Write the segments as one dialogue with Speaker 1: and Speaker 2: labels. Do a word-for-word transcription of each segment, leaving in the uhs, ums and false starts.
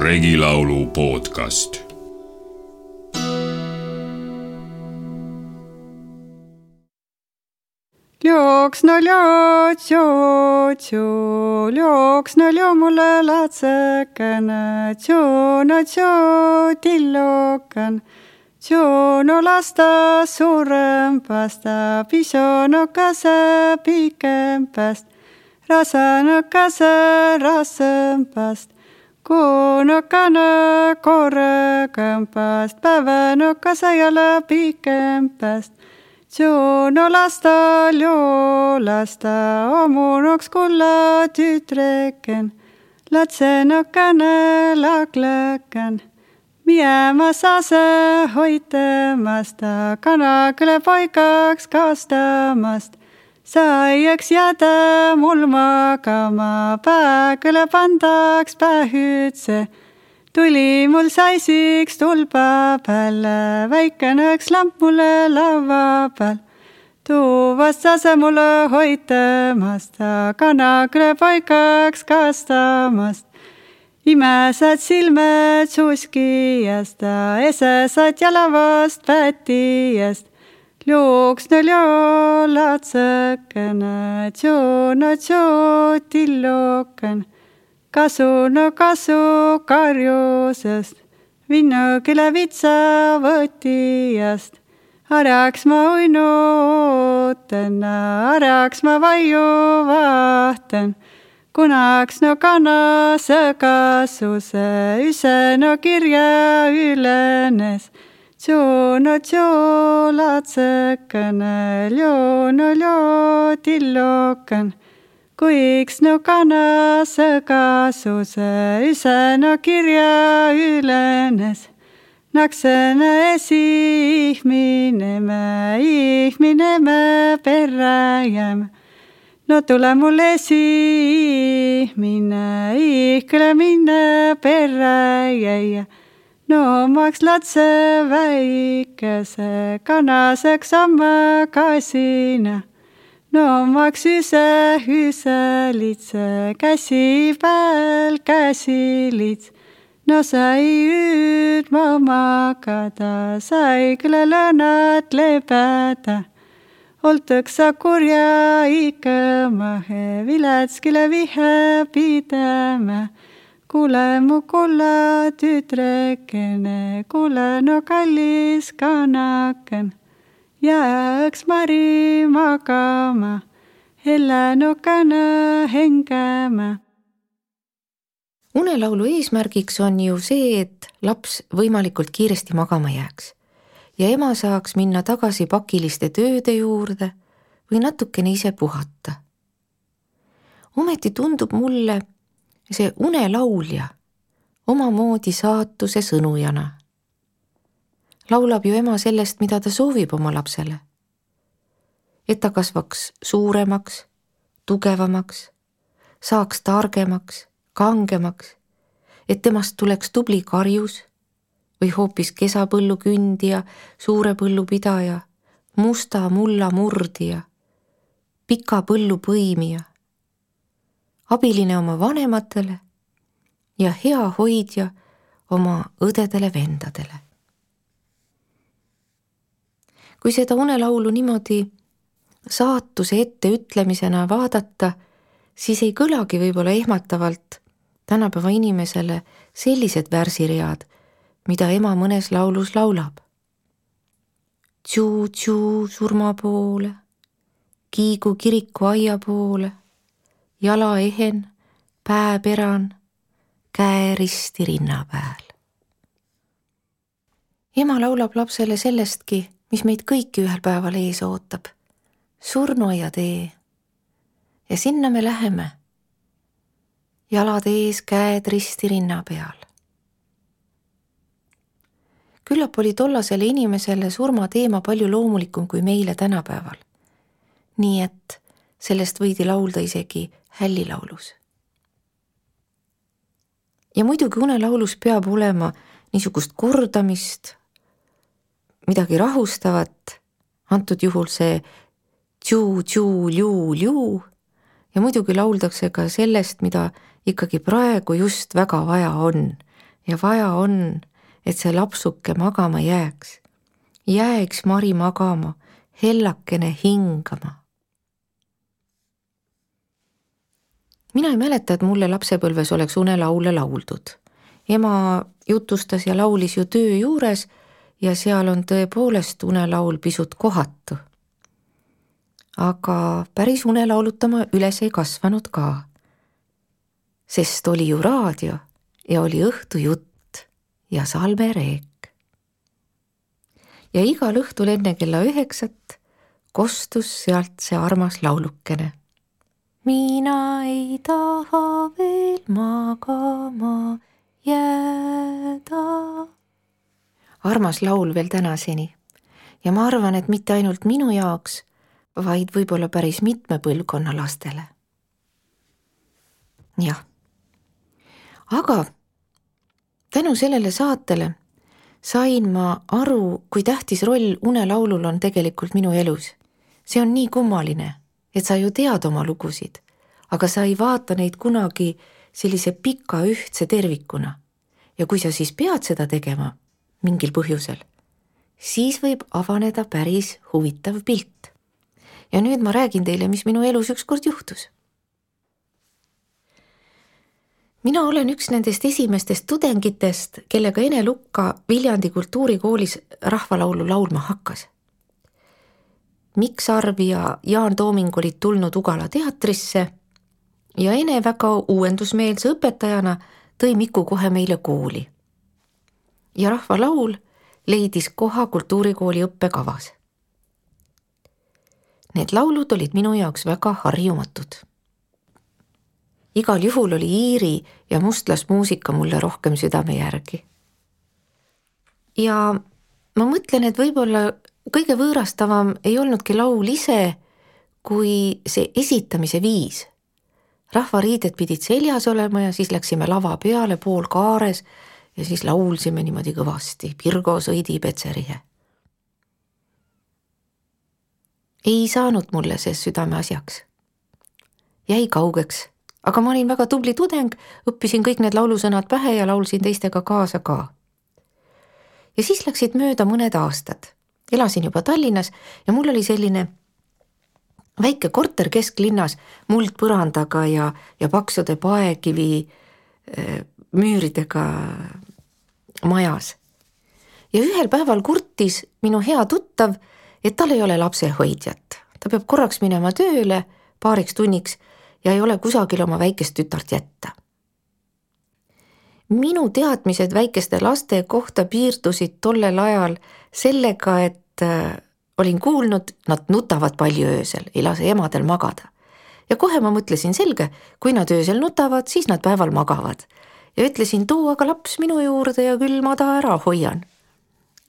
Speaker 1: Regilaulu podcast.
Speaker 2: Ljoks no ljoo, tjoo, tjoo, ljoks no ljoo mulle latsekene, tjoo no tjoo, tillokan, tjoo no lasta suurempasta, piso no kase pikempast, rasa no kase rasempast, kuu no kana korrekempast, päeva no kase jälle pikempast. Tjoo no lasta, ljoo lasta, omunoks kulla tütreken, latsenokane lakleken. Miema sase hoitemasta, kanakele poikaks kastamast. Saieks jäädä mul magama, pääkele pandaks pähütse. Tuli mul saisiks tulpa päälle, väikeneks lamp mulle lava peal. Tuuvast sase mulle hoitemasta, kanakele poikaks kastamast. Imesed silmed suskijast, esesed jalavast pätijast. Ljoks no ljoo latsekene, tjoo no tjoo tilloken. Kasu no kasu karjusest, vinnukile vitsa võtijast. Arjaks ma uinu ooten, arjaks ma vaiu vahten. Kunaks no kanase kasuse, üse no kirja ülenes. Tjoo no tjoo latsekene, ljoo no ljoo tilloken. Kuiks no kanase kasuse, üse no kirja ülenes. Naksene esi ihmineme, ihmineme perre jääme. No tule mul esi ihmine, ihkele minne perre jäia. No maks latse väikese, kanaseks amma kasina. No maks üse, üse litse, käsi pääl, käsi lits. No sai üüd ma magada, sai küle lõnad lebeda. Oltõksa kurja ikka mahe, viletskile vihe pideme. Kuule mu kulla tütrekene, kuule no kallis kanaken. Jääks mari magama, hellenukene hengeme.
Speaker 3: Unelaulu eesmärgiks on ju see, et laps võimalikult kiiresti magama jääks ja ema saaks minna tagasi pakiliste tööde juurde või natukene ise puhata. Ometi tundub mulle see unelaulja omamoodi saatuse sõnujana. Laulab ju ema sellest, mida ta soovib oma lapsele. Et ta kasvaks suuremaks, tugevamaks, saaks targemaks, kangemaks, et temast tuleks tubli karjus või hoopis kesapõllu kündija, suure põllu pidaja, musta mulla murdija, pika põllu põimija, abiline oma vanematele ja hea hoidja oma õdedele vendadele. Kui seda unelaulu niimoodi saatuse ette ütlemisena vaadata, siis ei kõlagi võib-olla ehmatavalt tänapäeva inimesele sellised värsiread, mida ema mõnes laulus laulab. Tšuu-tšuu surma poole, kiigu kiriku aia poole, jala ehen, pää peran, käe risti rinna pääl. Ema laulab lapsele sellestki, mis meid kõiki ühel päeval ees ootab. Surnuaia tee. Ja sinna me läheme. Jalad ees, käed risti rinna peal. Küllap oli tollasele inimesele surma teema palju loomulikum kui meile tänapäeval. Nii et sellest võidi laulda isegi hällilaulus. Ja muidugi unelaulus peab olema niisugust kordamist, midagi rahustavat, antud juhul see tšuu, tšuu, ljuu, ljuu ja muidugi lauldakse ka sellest, mida ikkagi praegu just väga vaja on ja vaja on, et see lapsuke magama jääks. Jääks Mari magama, hellakene hingama. Mina ei mäleta, et mulle lapsepõlves oleks unelaule lauldud. Ema jutustas ja laulis ju töö juures ja seal on tõepoolest unelaul pisut kohatu. Aga päris unelaulutama üles ei kasvanud ka. Sest oli ju raadio ja oli õhtujutt ja salmereek. Ja igal õhtul enne kella üheksat kostus sealt see armas laulukene. Mina ei taha veel magama jääda. Armas laul veel tänaseni ja ma arvan, et mitte ainult minu jaoks, vaid võib-olla päris mitme põlvkonna lastele. Jah. Aga tänu sellele saatele sain ma aru, kui tähtis roll unelaulul on tegelikult minu elus. See on nii kummaline, et sa ju tead oma lugusid, aga sa ei vaata neid kunagi sellise pika ühtse tervikuna. Ja kui sa siis pead seda tegema mingil põhjusel, siis võib avaneda päris huvitav pilt. Ja nüüd ma räägin teile, mis minu elus ükskord juhtus. Mina olen üks nendest esimestest tudengitest, kellega Ene Lukka Viljandi kultuurikoolis rahvalaulu laulma hakkas. Mikk Sarv ja Jaan Tooming olid tulnud Ugala teatrisse ja Ene väga uuendusmeelse õpetajana tõi Miku kohe meile kooli. Ja rahvalaul leidis koha kultuurikooli õppekavas. Need laulud olid minu jaoks väga harjumatud. Igal juhul oli iiri ja mustlasmuusika mulle rohkem südame järgi. Ja ma mõtlen, et võib-olla kõige võõrastavam ei olnudki laul ise, kui see esitamise viis. Rahvariided pidid seljas olema ja siis läksime lava peale pool kaares ja siis laulsime niimoodi kõvasti. Pirgo sõidi Petserihe. Ei saanud mulle see südame asjaks. Jäi kaugeks. Aga ma olin väga tubli tudeng, õppisin kõik need laulusõnad pähe ja laulsin teistega kaasa ka. Ja siis läksid mööda mõned aastad. Elasin juba Tallinnas ja mul oli selline väike korter kesklinnas muldpõrandaga ja, ja paksude paekivi äh, müüridega majas. Ja ühel päeval kurtis minu hea tuttav, et tal ei ole lapsehoidjat. Ta peab korraks minema tööle paariks tunniks ja ei ole kusagil oma väikest tütart jätta. Minu teadmised väikeste laste kohta piirdusid tollel ajal sellega, et äh, olin kuulnud, nad nutavad palju öösel, ei lase emadel magada. Ja kohe ma mõtlesin selge, kui nad öösel nutavad, siis nad päeval magavad. Ja ütlesin, too aga laps minu juurde ja küll ma ta ära hoian.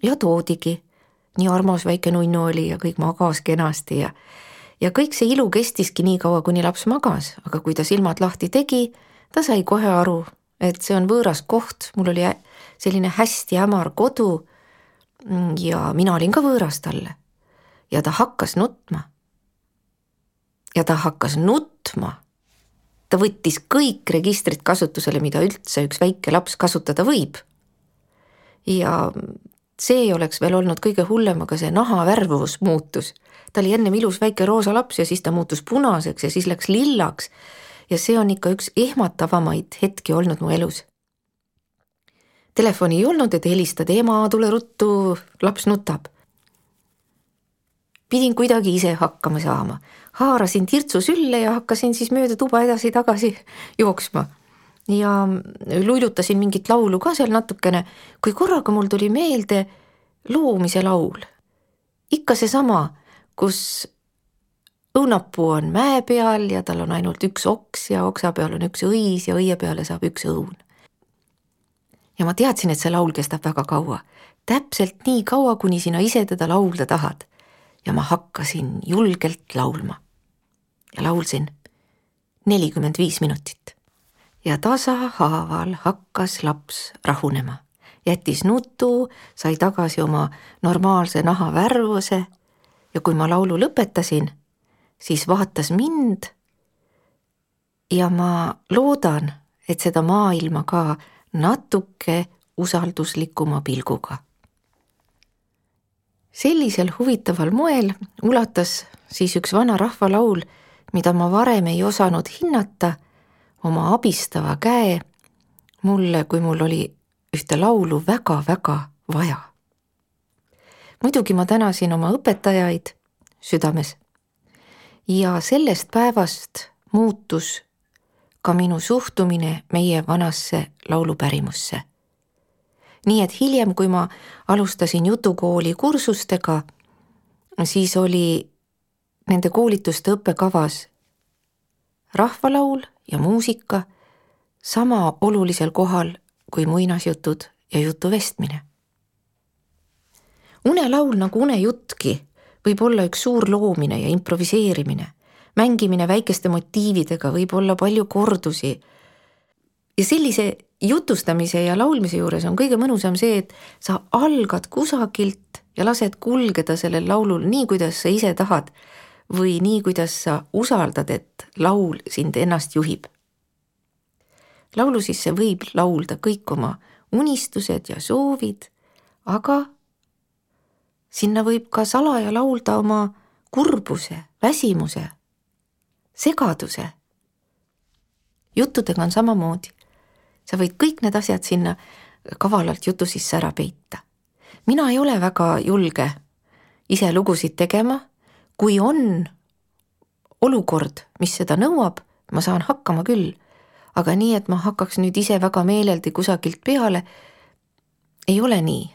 Speaker 3: Ja toodigi. Nii armas väike nunnu oli ja kõik magas kenasti ja Ja kõik see ilu kestiski nii kaua, kuni laps magas, aga kui ta silmad lahti tegi, ta sai kohe aru, et see on võõras koht, mul oli selline hästi hämar kodu ja mina olin ka võõras talle. Ja ta hakkas nutma. Ja ta hakkas nutma. Ta võttis kõik registrid kasutusele, mida üldse üks väike laps kasutada võib. Ja see ei oleks veel olnud kõige hullem, aga see naha värvus muutus. Ta oli ennem ilus väike roosa laps ja siis ta muutus punaseks ja siis läks lillaks ja see on ikka üks ehmatavamaid hetki olnud mu elus. Telefoni ei olnud, et helistad ema, tule ruttu, laps nutab. Pidin kuidagi ise hakkama saama. Haarasin tirtsu sülle ja hakkasin siis mööda tuba edasi tagasi jooksma. Ja luilutasin mingit laulu ka seal natukene, kui korraga mul tuli meelde loomise laul. Ikka see sama, kus õunapuu on mäe peal ja tal on ainult üks oks ja oksa peal on üks õis ja õie peale saab üks õun. Ja ma teadsin, et see laul kestab väga kaua. Täpselt nii kaua, kuni sina ise teda laulda tahad. Ja ma hakkasin julgelt laulma. Ja laulsin nelikümmend viis minutit. Ja tasahaaval hakkas laps rahunema. Jättis nutu, sai tagasi oma normaalse naha värvuse ja kui ma laulu lõpetasin, siis vaatas mind ja ma loodan, et seda maailma ka natuke usalduslikuma pilguga. Sellisel huvitaval moel ulatas siis üks vana rahvalaul, mida ma varem ei osanud hinnata, oma abistava käe mulle, kui mul oli ühte laulu väga-väga vaja. Muidugi ma tänasin oma õpetajaid südames ja sellest päevast muutus ka minu suhtumine meie vanasse laulupärimusse. Nii et hiljem, kui ma alustasin jutukooli kursustega, siis oli nende koolituste õppekavas rahvalaul ja muusika sama olulisel kohal kui muinasjutud ja jutuvestmine. Unelaul nagu unejuttki võib olla üks suur loomine ja improviseerimine, mängimine väikeste motiividega, võib olla palju kordusi. Ja sellise jutustamise ja laulmise juures on kõige mõnusam see, et sa algad kusagilt ja lased kulgeda sellel laulul nii, kuidas sa ise tahad või nii, kuidas sa usaldad, et laul sind ennast juhib. Laulu sisse võib laulda kõik oma unistused ja soovid, aga sinna võib ka salaja laulda oma kurbuse, väsimuse, segaduse. Juttudega on samamoodi. Sa võid kõik need asjad sinna kavalalt jutu sisse ära peita. Mina ei ole väga julge ise lugusid tegema. Kui on olukord, mis seda nõuab, ma saan hakkama küll, aga nii, et ma hakkaks nüüd ise väga meeleldi kusagilt peale, ei ole nii.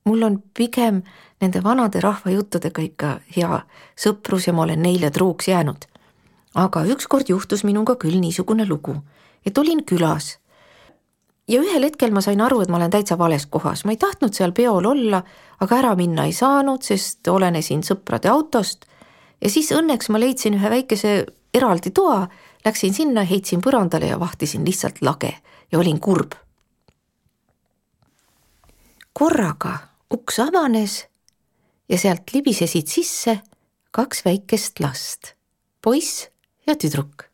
Speaker 3: Mul on pigem nende vanade rahvajuttudega ikka hea sõprus ja ma olen neile truuks jäänud. Aga ükskord juhtus minuga küll niisugune lugu, et olin külas. Ja ühel hetkel ma sain aru, et ma olen täitsa vales kohas. Ma ei tahtnud seal peol olla, aga ära minna ei saanud, sest olenesin sõprade autost. Ja siis õnneks ma leidsin ühe väikese eraldi toa, läksin sinna, heitsin põrandale ja vahtisin lihtsalt lage ja olin kurb. Korraga uks avanes ja sealt libisesid sisse kaks väikest last, poiss ja tüdruk.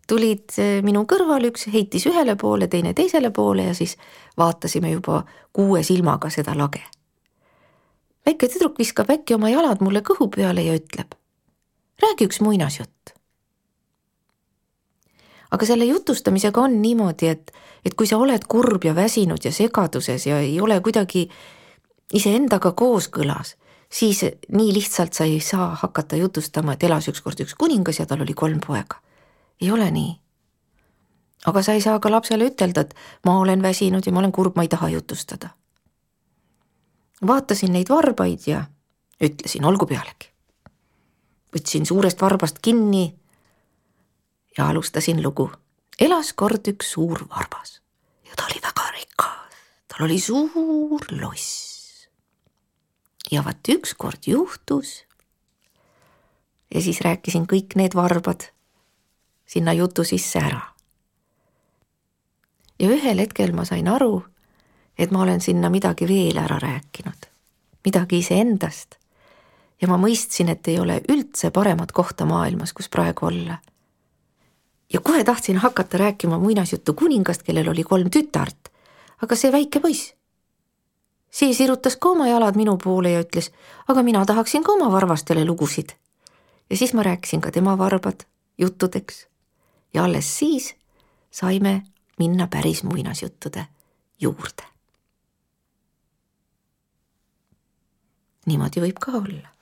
Speaker 3: Tulid minu kõrval, üks heitis ühele poole, teine teisele poole ja siis vaatasime juba kuue silmaga seda lage. Väike tüdruk viskab äkki oma jalad mulle kõhu peale ja ütleb, räägi üks muinasjutt. Aga selle jutustamisega on niimoodi, et, et kui sa oled kurb ja väsinud ja segaduses ja ei ole kuidagi iseendaga kooskõlas, siis nii lihtsalt sa ei saa hakata jutustama, et elas ükskord üks kuningas ja tal oli kolm poega. Ei ole nii. Aga sa ei saa ka lapsele ütelda, et ma olen väsinud ja ma olen kurb, ma ei taha jutustada. Vaatasin neid varbaid ja ütlesin, olgu pealegi. Võtsin suurest varbast kinni ja alustasin lugu. Elas kord üks suur varbas ja ta oli väga rikas. Tal oli suur loss. Ja vaat ükskord juhtus ja siis rääkisin kõik need varbad sinna jutu sisse ära. Ja ühel hetkel ma sain aru, et ma olen sinna midagi veel ära rääkinud, midagi iseendast. Ja ma mõistsin, et ei ole üldse paremat kohta maailmas, kus praegu olla. Ja kohe tahtsin hakata rääkima muinasjuttu kuningast, kellel oli kolm tütart, aga see väike poiss. See sirutas ka oma jalad minu poole ja ütles, aga mina tahaksin ka oma varvastele lugusid. Ja siis ma rääkisin ka tema varbad juttudeks. Ja alles siis saime minna päris muinasjuttude juurde. Niimoodi võib ka olla.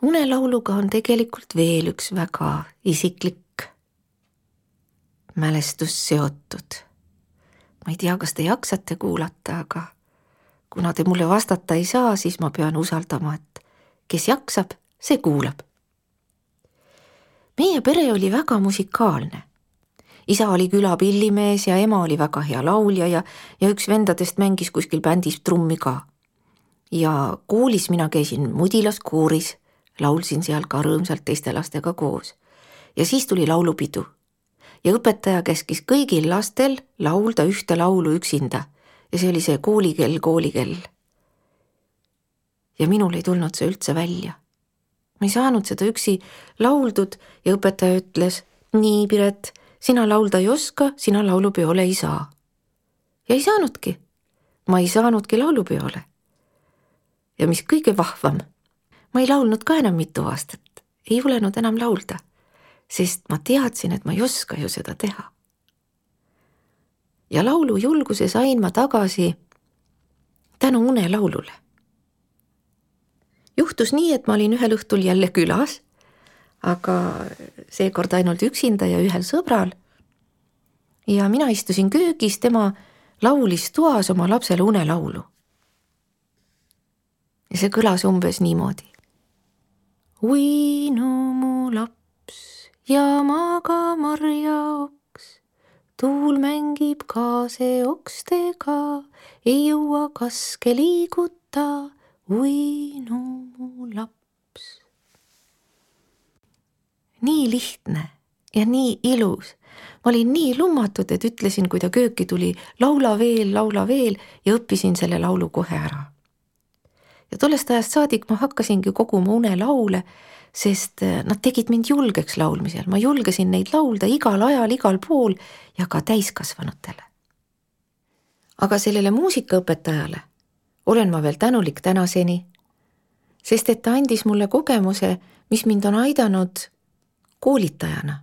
Speaker 3: Unelauluga on tegelikult veel üks väga isiklik mälestus seotud. Ma ei tea, kas te jaksate kuulata, aga kuna te mulle vastata ei saa, siis ma pean usaldama, et kes jaksab, see kuulab. Meie pere oli väga musikaalne. Isa oli külapillimees ja ema oli väga hea laulja ja, ja üks vendadest mängis kuskil bändis trummi ka. Ja koolis mina käisin mudilaskooris, laulsin seal ka rõõmsalt teiste lastega koos. Ja siis tuli laulupidu. Ja õpetaja käskis kõigil lastel laulda ühte laulu üksinda. Ja see oli see koolikell, koolikell. Ja minul ei tulnud see üldse välja. Ma ei saanud seda üksi lauldud ja õpetaja ütles, nii Piret, sina laulda ei oska, sina laulupeole ei saa. Ja ei saanudki. Ma ei saanudki laulupeole. Ja mis kõige vahvam, ma ei laulnud ka enam mitu aastat. Ei julenud enam laulda, sest ma teadsin, et ma ei oska ju seda teha. Ja laulu julguse sain ma tagasi tänu unelaulule. Juhtus nii, et ma olin ühel õhtul jälle külas, aga seekord ainult üksinda ja ühel sõbral. Ja mina istusin köögis, tema laulis toas oma lapsele unelaulu. Ja see kõlas umbes niimoodi. Uinu mu laps ja maga marja oks, tuul mängib kaase okstega, ei jõua kaske liiguta, uinu mu laps. Nii lihtne ja nii ilus. Ma olin nii lummatud, et ütlesin, kui ta kööki tuli, laula veel, laula veel ja õppisin selle laulu kohe ära. Ja tollest ajast saadik ma hakkasingi koguma unelaule, sest nad tegid mind julgeks laulmisel. Ma julgesin neid laulda igal ajal, igal pool ja ka täiskasvanutele. Aga sellele muusikaõpetajale olen ma veel tänulik tänaseni, sest et ta andis mulle kogemuse, mis mind on aidanud koolitajana.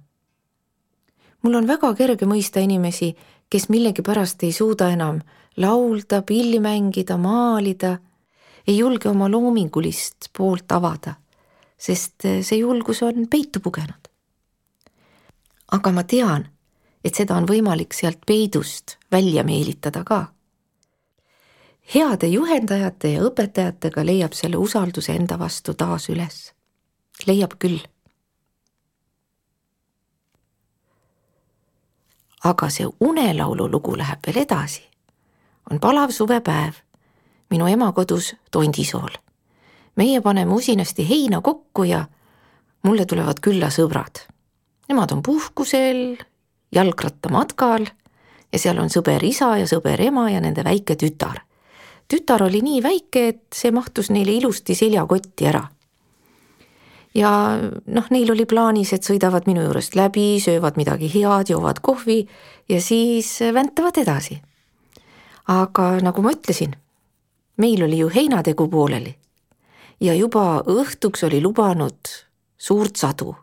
Speaker 3: Mul on väga kerge mõista inimesi, kes millegi pärast ei suuda enam laulda, pilli mängida, maalida, ei julge oma loomingulist poolt avada, sest see julgus on peitu pugenud. Aga ma tean, et seda on võimalik sealt peidust välja meelitada ka. Heade juhendajate ja õpetajatega leiab selle usalduse enda vastu taas üles. Leiab küll. Aga see unelaulu lugu läheb veel edasi. On palav suvepäev. Minu ema kodus Tondisool. Meie paneme usinasti heina kokku ja mulle tulevad külla sõbrad. Nemad on puhkusel, jalgratta matkal ja seal on sõber isa ja sõber ema ja nende väike tütar. Tütar oli nii väike, et see mahtus neile ilusti seljakotti ära. Ja noh, neil oli plaanis, et sõidavad minu juurest läbi, söövad midagi head, joovad kohvi ja siis väntavad edasi. Aga nagu ma ütlesin, meil oli ju heinategu pooleli ja juba õhtuks oli lubanud suurt sadu.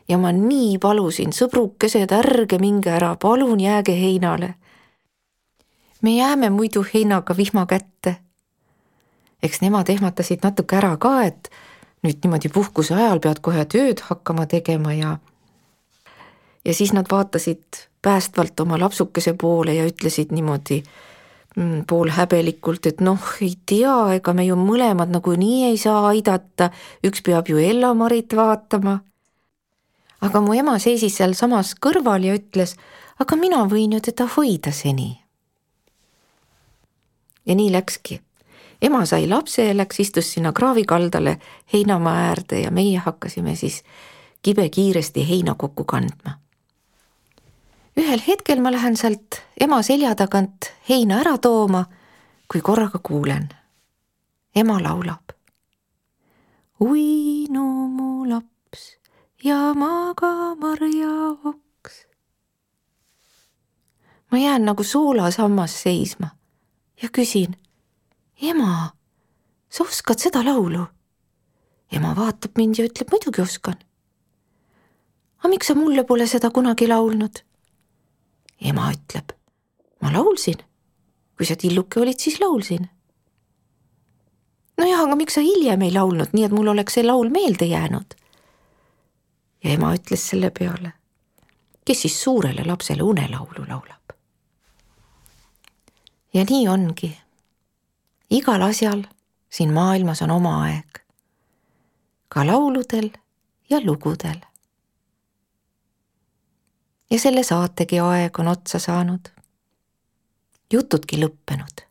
Speaker 3: Ja ma nii palusin, sõbrukesed, ärge minge ära, palun jääge heinale. Me jääme muidu heinaga vihma kätte. Eks nemad ehmatasid natuke ära ka, et nüüd niimoodi puhkuse ajal pead kohe tööd hakkama tegema ja ja siis nad vaatasid päästvalt oma lapsukese poole ja ütlesid niimoodi pool häbelikult, et noh, ei tea, ega me ju mõlemad nagu nii ei saa aidata, üks peab ju Ella-Marit vaatama. Aga mu ema seisis seal samas kõrval ja ütles, aga mina võin ju teda hoida seni. Ja nii läkski. Ema sai lapse ja läks, istus sinna kraavikaldale heinamaa äärde ja meie hakkasime siis kibe kiiresti heina kokku kandma. Ühel hetkel ma lähen sealt ema selja tagant heina ära tooma, kui korraga kuulen. Ema laulab. Uinu mu laps ja maga marja oks. Ma jään nagu soolasammas seisma ja küsin, ema, sa oskad seda laulu? Ema vaatab mind ja ütleb, muidugi oskan. Aga miks sa mulle pole seda kunagi laulnud? Ema ütleb, ma laulsin. Kui sa tilluke olid, siis laulsin. No jah, aga miks sa hiljem ei laulnud, nii et mul oleks see laul meelde jäänud? Ja ema ütles selle peale, kes siis suurele lapsele unelaulu laulab. Ja nii ongi. Igal asjal siin maailmas on oma aeg. Ka lauludel ja lugudel. Ja selle saategi aeg on otsa saanud. Jutudki lõppenud.